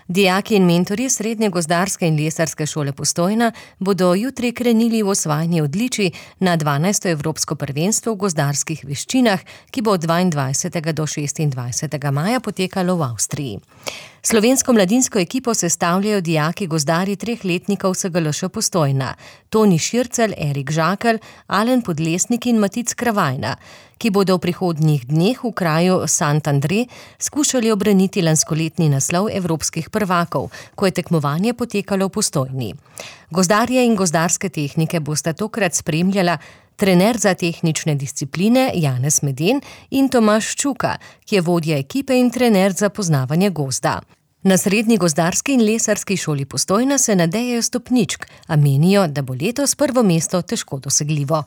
Dijaki in mentorji Srednje gozdarske in lesarske šole Postojna bodo jutri krenili v osvajanje odličij na 12. Evropsko prvenstvo v gozdarskih veščinah, ki bo od 22. do 26. maja potekalo v Avstriji. Slovensko mladinsko ekipo sestavljajo dijaki gozdarji 3 letnikov SGLŠ Postojna, Toni Šircelj, Erik Žakelj, Alen Podlesnik in Matic Kravajna, ki bodo v prihodnjih dneh v kraju Sant-André skušali obraniti lanskoletni naslov evropskih prvakov, ko je tekmovanje potekalo v Postojni. Gozdarje in gozdarske tehnike bosta tokrat spremljala trener za tehnične discipline Janez Meden in Tomaž Čuka, ki je vodja ekipe in trener za poznavanje gozda. Na Srednji gozdarski in lesarski šoli Postojna se nadejajo stopničk, a menijo, da bo letos prvo mesto težko dosegljivo.